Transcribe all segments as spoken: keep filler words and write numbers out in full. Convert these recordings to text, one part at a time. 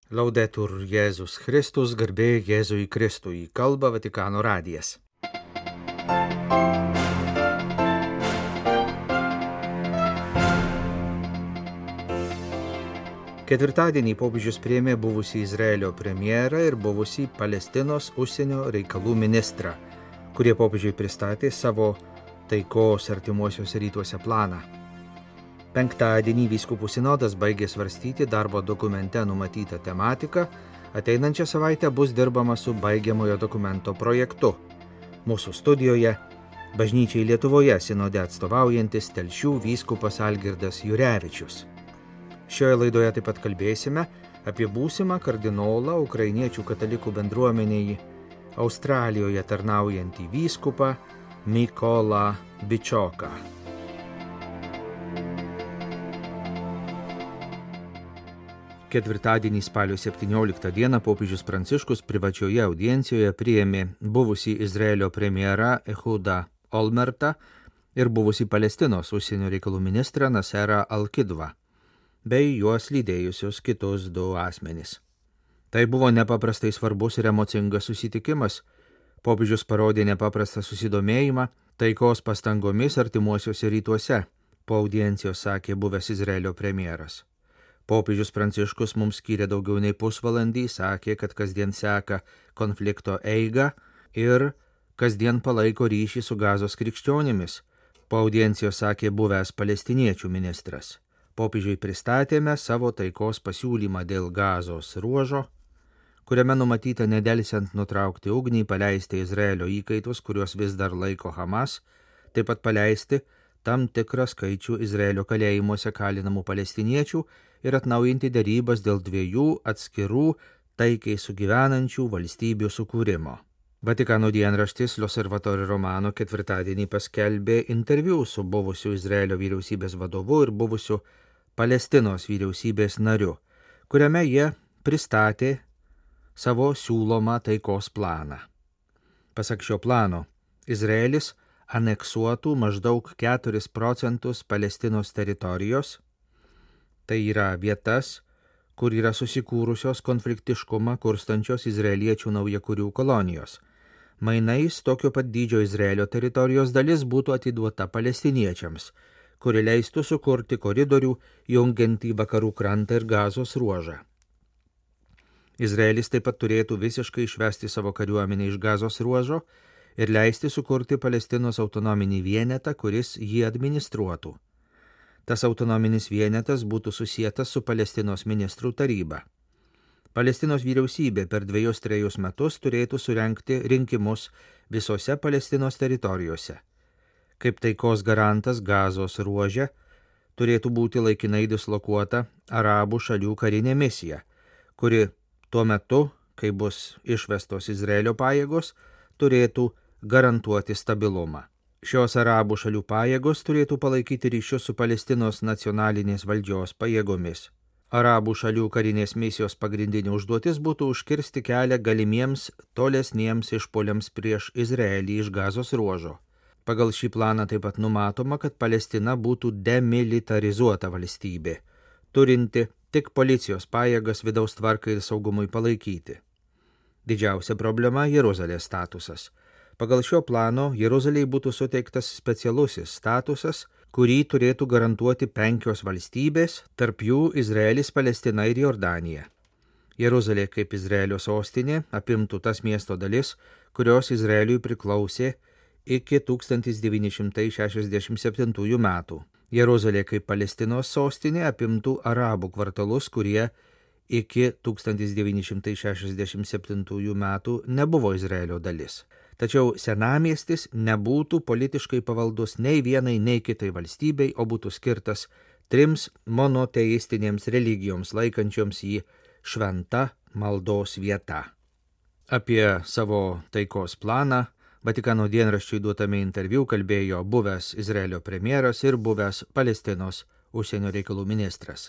Laudetur Jėzus Kristus, garbė Jėzui Kristui, kalba Vatikano radijas. Ketvirtadienį popiežius priėmė buvusį Izraelio premjerą ir buvusį Palestinos užsienio reikalų ministrą, kurie popiežiui pristatė savo taikos artimuosiuose rytuose planą. Penktadienį vyskupų sinodas baigė svarstyti darbo dokumente numatytą tematiką, ateinančią savaitę bus dirbama su baigiamojo dokumento projektu. Mūsų studijoje bažnyčiai Lietuvoje sinode atstovaujantis Telšių vyskupas Algirdas Jurevičius. Šioje laidoje taip pat kalbėsime apie būsimą kardinolą ukrainiečių katalikų bendruomenėje Australijoje tarnaujantį vyskupą Mykolą Bičioką. Ketvirtadienį spalio septynioliktą dieną popiežius Pranciškus privačioje audiencijoje priėmė buvusį Izraelio premjerą Ehudą Olmertą ir buvusį Palestinos užsienio reikalų ministrą Naserą Al-Kidvą, bei juos lydėjusius kitus du asmenys. Tai buvo nepaprastai svarbus ir emocingas susitikimas. Popiežius parodė nepaprastą susidomėjimą taikos pastangomis artimuosiuose rytuose, po audiencijos sakė buvęs Izraelio premjeras. Popiežius Pranciškus mums skyrė daugiau nei pusvalandį, sakė, kad kasdien seka konflikto eigą ir kasdien palaiko ryšį su Gazos krikščionimis. Po audiencijos sakė buvęs palestiniečių ministras. Popiežiui pristatėme savo taikos pasiūlymą dėl Gazos ruožo, kuriame numatyta nedelsiant nutraukti ugnį, paleisti Izraelio įkaitus, kuriuos vis dar laiko Hamas, taip pat paleisti tam tikrą skaičių Izraelio kalėjimuose kalinamų palestiniečių ir atnaujinti derybas dėl dviejų atskirų taikiai sugyvenančių valstybių sukūrimo. Vatikano dienraštis L'Osservatore Romano ketvirtadienį paskelbė interviu su buvusiu Izraelio vyriausybės vadovu ir buvusiu Palestinos vyriausybės nariu, kuriame jie pristatė savo siūlomą taikos planą. Pasak šio plano, Izraelis aneksuotų maždaug keturis procentus Palestinos teritorijos, tai yra vietas, kur yra susikūrusios konfliktiškumą kurstančios izraeliečių naujakurių kolonijos. Mainais tokio pat dydžio Izraelio teritorijos dalis būtų atiduota palestiniečiams, kuri leistų sukurti koridorių jungiantį vakarų krantą ir Gazos ruožą. Izraelis taip pat turėtų visiškai išvesti savo kariuomenę iš Gazos ruožo ir leisti sukurti Palestinos autonominį vienetą, kuris jį administruotų. Tas autonominis vienetas būtų susietas su Palestinos ministrų taryba. Palestinos vyriausybė per dviejus trejus metus turėtų surengti rinkimus visose Palestinos teritorijose. Kaip taikos garantas Gazos ruože turėtų būti laikinai dislokuota arabų šalių karinė misija, kuri tuo metu, kai bus išvestos Izraelio pajėgos, turėtų garantuoti stabilumą. Šios arabų šalių pajėgos turėtų palaikyti ryšius su Palestinos nacionalinės valdžios pajėgomis. Arabų šalių karinės misijos pagrindinė užduotis būtų užkirsti kelią galimiems tolesniems išpuoliams prieš Izraelį iš Gazos ruožo. Pagal šį planą taip pat numatoma, kad Palestina būtų demilitarizuota valstybė, turinti tik policijos pajėgas vidaus tvarkai ir saugumui palaikyti. Didžiausia problema – Jeruzalės statusas. Pagal šio plano Jeruzalei būtų suteiktas specialusis statusas, kurį turėtų garantuoti penkios valstybės, tarp jų Izraelis, Palestina ir Jordanija. Jeruzalė kaip Izraelio sostinė apimtų tas miesto dalis, kurios Izraeliui priklausė iki tūkstantis devyni šimtai šešiasdešimt septintųjų metų. Jeruzalė kaip Palestinos sostinė apimtų arabų kvartalus, kurie iki tūkstantis devyni šimtai šešiasdešimt septintųjų metų nebuvo Izraelio dalis. Tačiau senamiestis nebūtų politiškai pavaldus nei vienai, nei kitai valstybei, o būtų skirtas trims monoteistinėms religijoms laikančioms jį šventa maldos vieta. Apie savo taikos planą Vatikano dienraščiui duotame interviu kalbėjo buvęs Izraelio premjeras ir buvęs Palestinos užsienio reikalų ministras.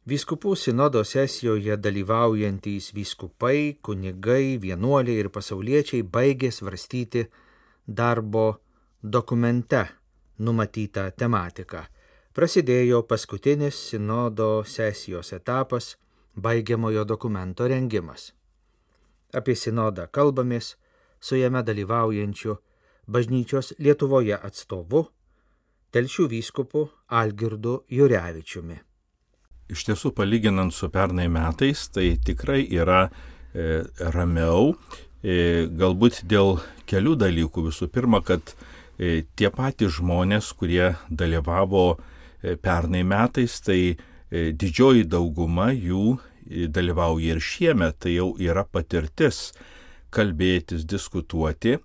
Vyskupų sinodo sesijoje dalyvaujantys vyskupai, kunigai, vienuoliai ir pasauliečiai baigė svarstyti darbo dokumente numatytą tematiką. Prasidėjo paskutinis sinodo sesijos etapas – baigiamojo dokumento rengimas. Apie sinodą kalbamės su jame dalyvaujančiu bažnyčios Lietuvoje atstovu, Telšių vyskupu Algirdu Jurevičiumi. Iš tiesų, palyginant su pernai metais, tai tikrai yra e, ramiau, e, galbūt dėl kelių dalykų. Visų pirma, kad e, tie patys žmonės, kurie dalyvavo e, pernai metais, tai e, didžioji dauguma jų e, dalyvauja ir šiemet, tai jau yra patirtis kalbėtis, diskutuoti.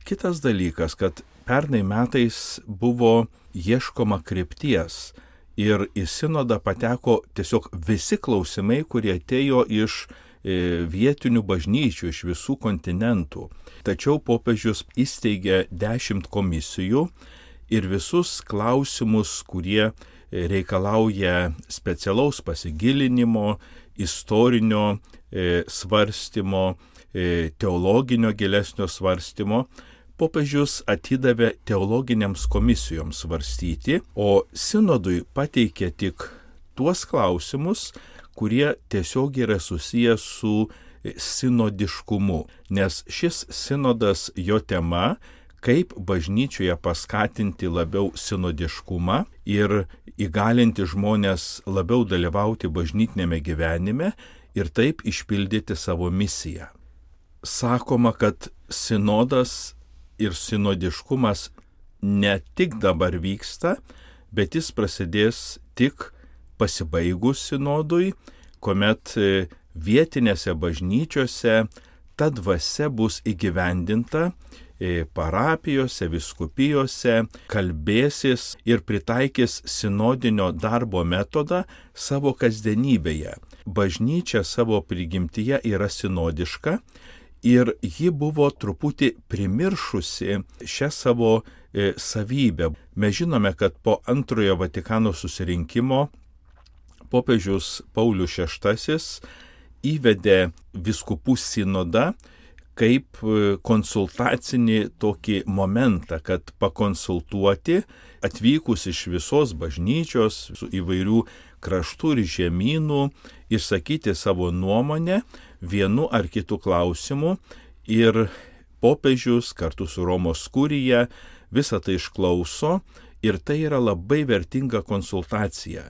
Kitas dalykas, kad pernai metais buvo ieškoma krypties. Ir į sinodą pateko tiesiog visi klausimai, kurie atėjo iš e, vietinių bažnyčių, iš visų kontinentų. Tačiau popiežius įsteigė dešimt komisijų ir visus klausimus, kurie reikalauja specialaus pasigilinimo, istorinio e, svarstymo, e, teologinio gilesnio svarstymo, popiežius atidavė teologinėms komisijoms svarstyti, o sinodui pateikė tik tuos klausimus, kurie tiesiog yra susijęs su sinodiškumu, nes šis sinodas, jo tema, kaip bažnyčioje paskatinti labiau sinodiškumą ir įgalinti žmonės labiau dalyvauti bažnytinėme gyvenime ir taip išpildyti savo misiją. Sakoma, kad sinodas ir sinodiškumas ne tik dabar vyksta, bet jis prasidės tik pasibaigus sinodui, kuomet vietinėse bažnyčiose ta dvasia bus įgyvendinta, parapijose, vyskupijose, kalbėsis ir pritaikys sinodinio darbo metodą savo kasdienybėje. Bažnyčia savo prigimtyje yra sinodiška, ir ji buvo truputį primiršusi šią savo e, savybę. Mes žinome, kad po antrojo Vatikano susirinkimo popiežius Paulius šeštasis įvedė vyskupų sinodą kaip konsultacinį tokį momentą, kad pakonsultuoti atvykus iš visos bažnyčios, su įvairių kraštų ir žemynų, išsakyti savo nuomonę vienu ar kitu klausimu ir popiežius kartu su Romos kurija visą tai išklauso ir tai yra labai vertinga konsultacija.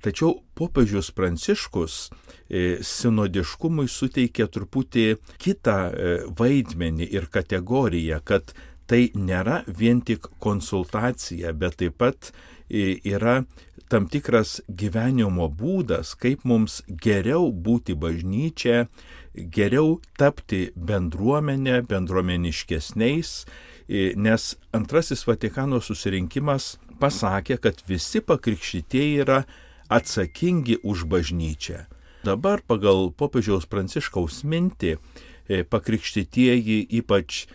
Tačiau popiežius Pranciškus e, sinodiškumui suteikė truputį kitą e, vaidmenį ir kategoriją, kad tai nėra vien tik konsultacija, bet taip pat e, yra tam tikras gyvenimo būdas, kaip mums geriau būti bažnyčia, geriau tapti bendruomenė, bendruomeniškesniais, nes antrasis Vatikano susirinkimas pasakė, kad visi pakrikštytieji yra atsakingi už bažnyčią. Dabar pagal popiežiaus Pranciškaus mintį pakrikštytieji, ypač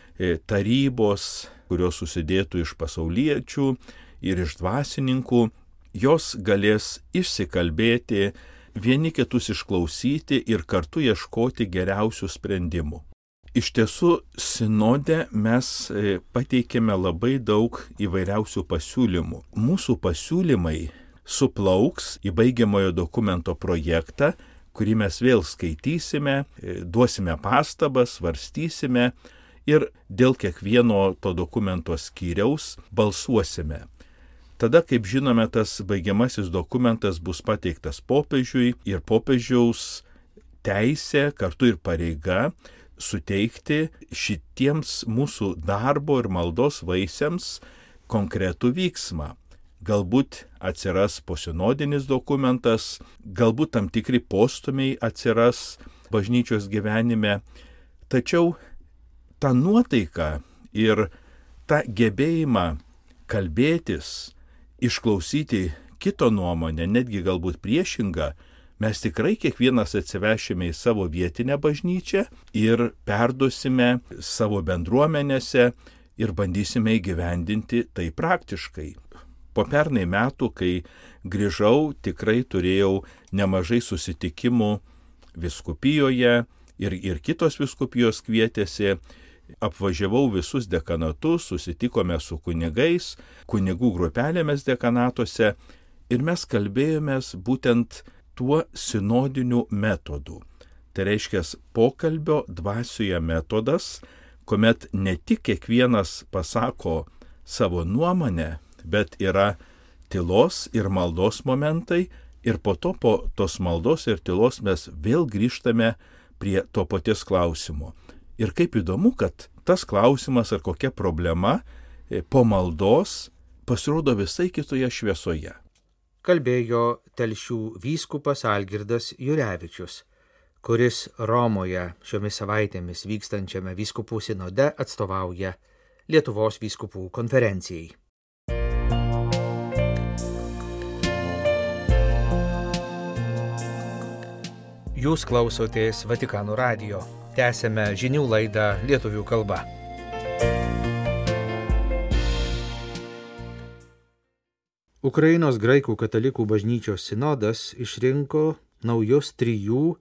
tarybos, kurios susidėtų iš pasauliečių ir iš dvasininkų, jos galės išsikalbėti, vieni kitus išklausyti ir kartu ieškoti geriausių sprendimų. Iš tiesų, sinode mes pateikėme labai daug įvairiausių pasiūlymų. Mūsų pasiūlymai suplauks į baigiamojo dokumento projektą, kurį mes vėl skaitysime, duosime pastabas, svarstysime ir dėl kiekvieno to dokumento skyriaus balsuosime. Tada, kaip žinome, tas baigiamasis dokumentas bus pateiktas popiežiui ir popiežiaus teisė, kartu ir pareiga suteikti šitiems mūsų darbo ir maldos vaisiams konkretų vyksmą. Galbūt atsiras posinodinis dokumentas, galbūt tam tikri postumiai atsiras bažnyčios gyvenime, tačiau tą nuotaiką ir tą gebėjimą kalbėtis, išklausyti kito nuomonę, netgi galbūt priešingą, mes tikrai kiekvienas atsivešime į savo vietinę bažnyčią ir perduosime savo bendruomenėse ir bandysime įgyvendinti tai praktiškai. Po pernai metų, kai grįžau, tikrai turėjau nemažai susitikimų vyskupijoje ir, ir kitos vyskupijos kvietėsi. Apvažiavau visus dekanatus, susitikome su kunigais, kunigų grupelėmis dekanatuose ir mes kalbėjomės būtent tuo sinodiniu metodu. Tai reiškia pokalbio dvasioje metodas, kuomet ne tik kiekvienas pasako savo nuomonę, bet yra tylos ir maldos momentai ir po to po tos maldos ir tylos mes vėl grįžtame prie to paties klausimo. Ir kaip įdomu, kad tas klausimas ar kokia problema po maldos pasirodo visai kitoje šviesoje. Kalbėjo Telšių vyskupas Algirdas Jurevičius, kuris Romoje šiomis savaitėmis vykstančiame vyskupų sinode atstovauja Lietuvos vyskupų konferencijai. Jūs klausotės Vatikano radijo. Tęsėme žinių laidą lietuvių kalba. Ukrainos graikų katalikų bažnyčios sinodas išrinko naujus trijų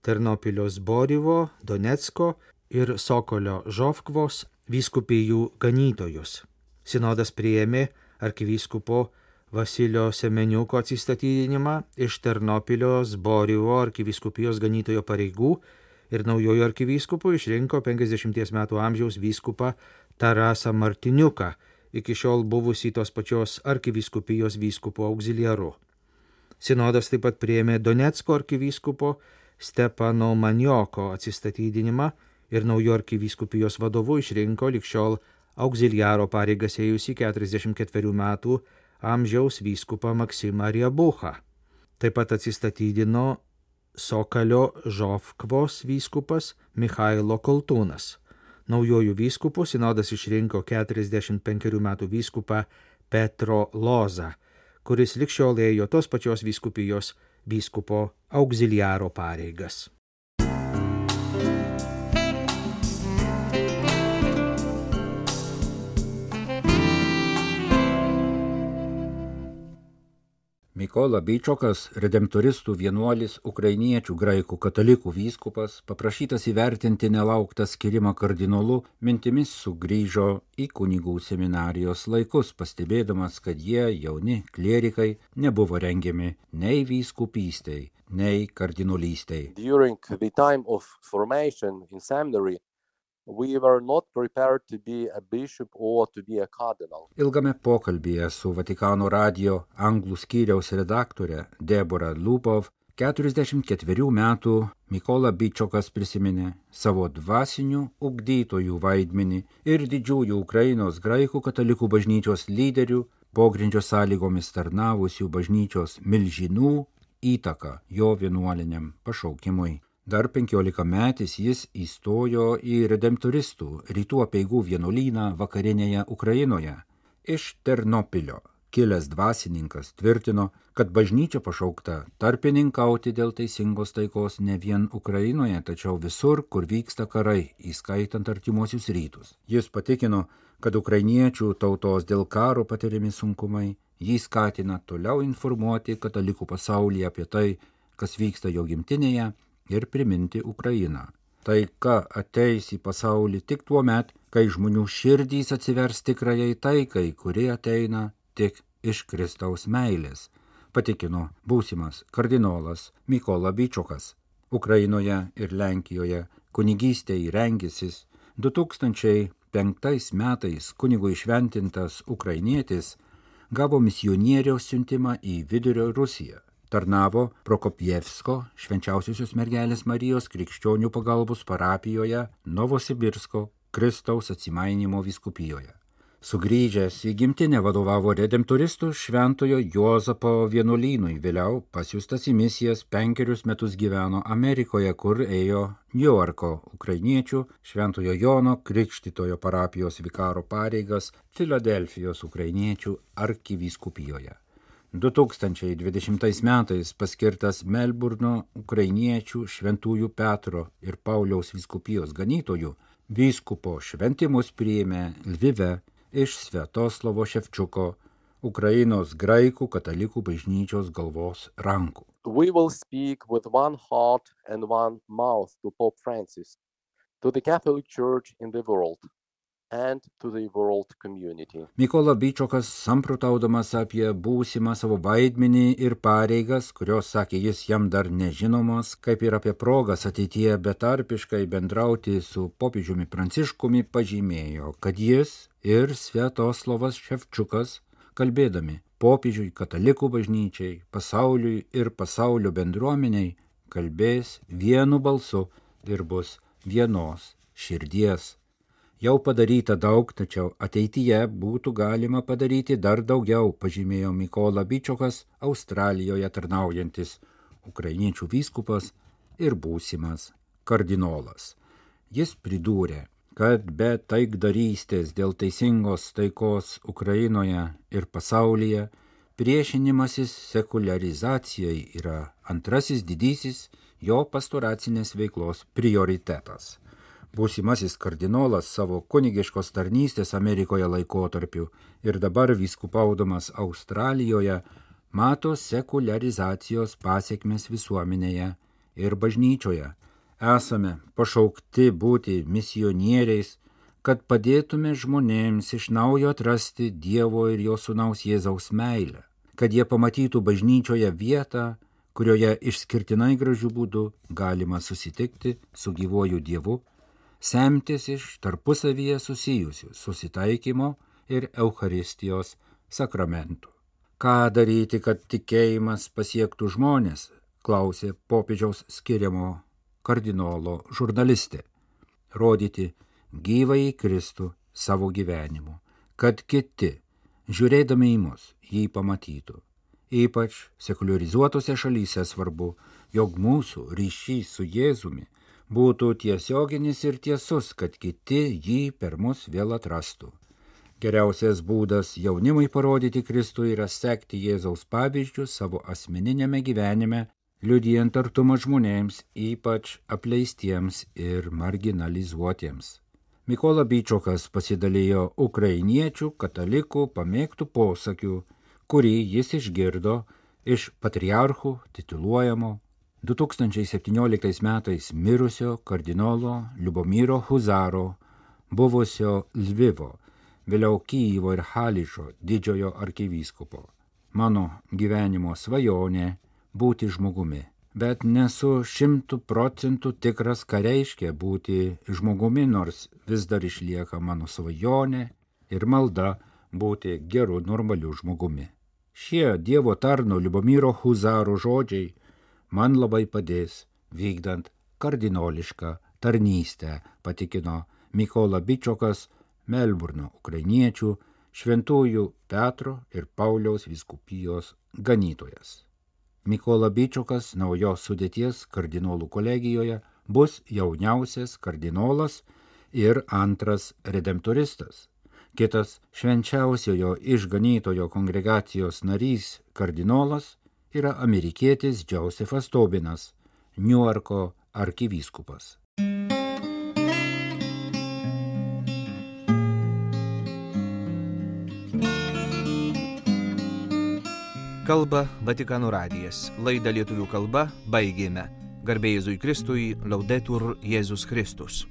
Ternopilio Zborivo, Donecko ir Sokolio Žofkvos vyskupijų ganytojus. Sinodas priėmė arkivyskupo Vasilio Semeniuko atsistatydinimą iš Ternopilio Zborivo arkivyskupijos ganytojo pareigų ir naujojo arkivyskupu išrinko penkiasdešimties metų amžiaus vyskupą Tarasą Martiniuką, iki šiol buvusį tos pačios arkivyskupijos vyskupo auxiliaru. Sinodas taip pat priėmė Donecko arkivyskupo Stepano Manioko atsistatydinimą ir naujo arkivyskupijos vadovu išrinko lig šiol auxiliaro pareigas ėjusį keturiasdešimt ketverių metų amžiaus vyskupą Maksimą Riebuchą. Taip pat atsistatydino Sokalio Žofkvos vyskupas Michailo Koltūnas. Naujojų vyskupų sinodas išrinko keturiasdešimt penkerių metų vyskupą Petro Lozą, kuris lig šiol ėjo tos pačios vyskupijos vyskupo auxiliaro pareigas. Mykola Byčokas, redemptoristų vienuolis, ukrainiečių graikų katalikų vyskupas, paprašytas įvertinti nelauktą skirimą kardinolu, mintimis sugrįžo į kunigų seminarijos laikus, pastebėdamas, kad jie, jauni klierikai, nebuvo rengiami nei vyskupystei, nei kardinolystei. During the time of formation in seminary, we were not prepared to be a bishop or to be a cardinal. Ilgame pokalbyje su Vatikano radijo anglų skyriaus redaktore Deborah Lubov, keturiasdešimt ketverių metų Mykola Byčokas prisiminė savo dvasinių ugdytojų vaidmenį ir didžiųjų Ukrainos graikų katalikų bažnyčios lyderių, pogrindžio sąlygomis tarnavusių bažnyčios milžinų įtaką jo vienuoliniam pašaukimui. Dar penkiolikametis jis įstojo į redemptoristų rytų apeigų vienuolyną vakarinėje Ukrainoje. Iš Ternopilio kilęs dvasininkas tvirtino, kad bažnyčia pašaukta tarpininkauti dėl teisingos taikos ne vien Ukrainoje, tačiau visur, kur vyksta karai, įskaitant artimuosius rytus. Jis patikino, kad ukrainiečių tautos dėl karo patiriami sunkumai jį skatina toliau informuoti katalikų pasaulyje apie tai, kas vyksta jo gimtinėje, ir priminti Ukrainą. Taika ateis į pasaulį tik tuo met, kai žmonių širdys atsivers tikrajai taikai, kuri ateina tik iš Kristaus meilės, patikino būsimas kardinolas Mykola Byčokas. Ukrainoje ir Lenkijoje kunigystei rengėsis du tūkstančiai penktais metais kunigo įšventintas ukrainietis gavo misionieriaus siuntimą į Vidurio Rusiją. Tarnavo Prokopjevsko švenčiausiosios mergelės Marijos krikščionių pagalbos parapijoje Novosibirsko Kristaus atsimainymo vyskupijoje. Sugrįžęs į gimtinę vadovavo redemptoristų šventojo Juozapo vienuolynui, vėliau pasiųstas į misijas penkerius metus gyveno Amerikoje, kur ėjo Niujorko ukrainiečių šventojo Jono Krikštytojo parapijos vikaro pareigas Filadelfijos ukrainiečių arkivyskupijoje. du tūkstančiai dvidešimtais metais paskirtas Melburno ukrainiečių šventųjų Petro ir Pauliaus vyskupijos ganytojų, vyskupo šventimus priėmė Lvive iš Sviatoslavo Ševčiuko Ukrainos graikų katalikų bažnyčios galvos rankų. We will speak with one heart and one mouth to Pope Francis, to the Catholic Church in the world, and to the world community. Mykola Byčokas, samprotaudamas apie būsimą savo vaidmenį ir pareigas, kurios, sakė jis, jam dar nežinomos, kaip ir apie progas ateityje betarpiškai bendrauti su popiežiumi Pranciškumi, pažymėjo, kad jis ir Sviatoslavas Ševčiukas, kalbėdami popiežiui, katalikų bažnyčiai, pasauliui ir pasaulio bendruomeniai, kalbės vienu balsu ir bus vienos širdies. Jau padaryta daug, tačiau ateityje būtų galima padaryti dar daugiau, pažymėjo Mykola Byčokas, Australijoje tarnaujantis ukrainiečių vyskupas ir būsimas kardinolas. Jis pridūrė, kad be taikdarystės dėl teisingos taikos Ukrainoje ir pasaulyje priešinimasis sekuliarizacijai yra antrasis didysis jo pastoracinės veiklos prioritetas. Būsimasis kardinolas savo kunigiškos tarnystės Amerikoje laikotarpiu ir dabar vyskupaudamas Australijoje mato sekuliarizacijos pasiekmes visuomenėje ir bažnyčioje. Esame pašaukti būti misionieriais, kad padėtume žmonėms iš naujo atrasti Dievo ir jo sūnaus Jėzaus meilę, kad jie pamatytų bažnyčioje vietą, kurioje išskirtinai gražių būdų galima susitikti su gyvuoju Dievu, semtis iš tarpusavyje susijusių susitaikymo ir Eucharistijos sakramentų. Ką daryti, kad tikėjimas pasiektų žmonės, klausė popiežiaus skiriamo kardinolo žurnalistė. Rodyti gyvąjį Kristų savo gyvenimu, kad kiti, žiūrėdami į mus, jį pamatytų. Ypač sekuliarizuotose šalyse svarbu, jog mūsų ryšys su Jėzumi būtų tiesioginis ir tiesus, kad kiti jį per mus vėl atrastų. Geriausias būdas jaunimui parodyti Kristų yra sekti Jėzaus pavyzdžių savo asmeninėme gyvenime, liudijant artumą žmonėms, ypač apleistiems ir marginalizuotiems. Mykola Byčokas pasidalijo ukrainiečių katalikų pamėgtų posakių, kurį jis išgirdo iš patriarchų tituluojamo du tūkstančiai septynioliktais metais mirusio kardinolo Liubomiro Huzaro, buvusio Lvivo, vėliau Kyjivo ir Haličo didžiojo arkivyskupo. Mano gyvenimo svajonė būti žmogumi, bet nesu šimtų procentų tikras, ką reiškia būti žmogumi, nors vis dar išlieka mano svajonė ir malda būti geru, normaliu žmogumi. Šie Dievo tarno Liubomiro Huzaro žodžiai man labai padės vykdant kardinolišką tarnystę, patikino Mykola Byčokas, Melburno ukrainiečių Šventųjų Petro ir Pauliaus vyskupijos ganytojas. Mykola Byčokas naujos sudėties kardinolų kolegijoje bus jauniausias kardinolas ir antras redemptoristas. Kitas švenčiausiojo išganytojo kongregacijos narys kardinolas yra amerikietis Džozefas Tobinas, Niuarko arkivyskupas. Kalba Vatikano radijas. Laidą lietuvių kalba baigėme. Garbė Jėzui Kristui, Laudetur Jėzus Kristus.